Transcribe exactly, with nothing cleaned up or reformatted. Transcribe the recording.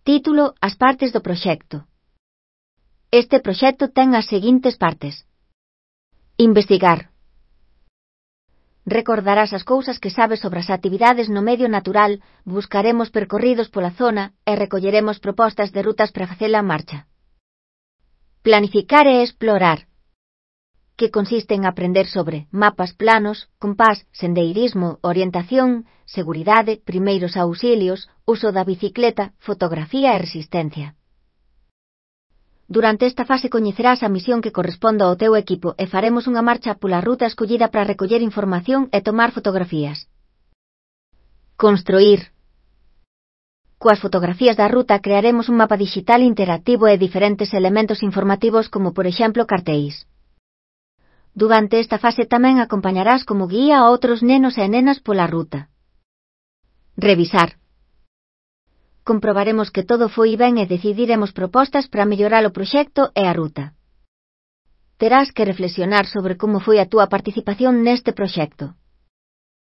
Título: As partes do proxecto. Este proxecto ten as seguintes partes. Investigar. Recordarás as cousas que sabes sobre as actividades no medio natural, buscaremos percorridos pola zona e recolleremos propostas de rutas para facela en marcha. Planificar e explorar, que consiste en aprender sobre mapas planos, compás, sendeirismo, orientación, seguridade, primeiros auxilios, uso da bicicleta, fotografía e resistencia. Durante esta fase coñecerás a misión que corresponde ao teu equipo e faremos unha marcha pola ruta escollida para recoller información e tomar fotografías. Construir. Coas fotografías da ruta crearemos un mapa digital interactivo e diferentes elementos informativos como por exemplo cartéis. Durante esta fase tamén acompañarás como guía a outros nenos e nenas pola ruta. Revisar. Comprobaremos que todo foi ben e decidiremos propostas para mellorar o proxecto e a ruta. Terás que reflexionar sobre como foi a túa participación neste proxecto.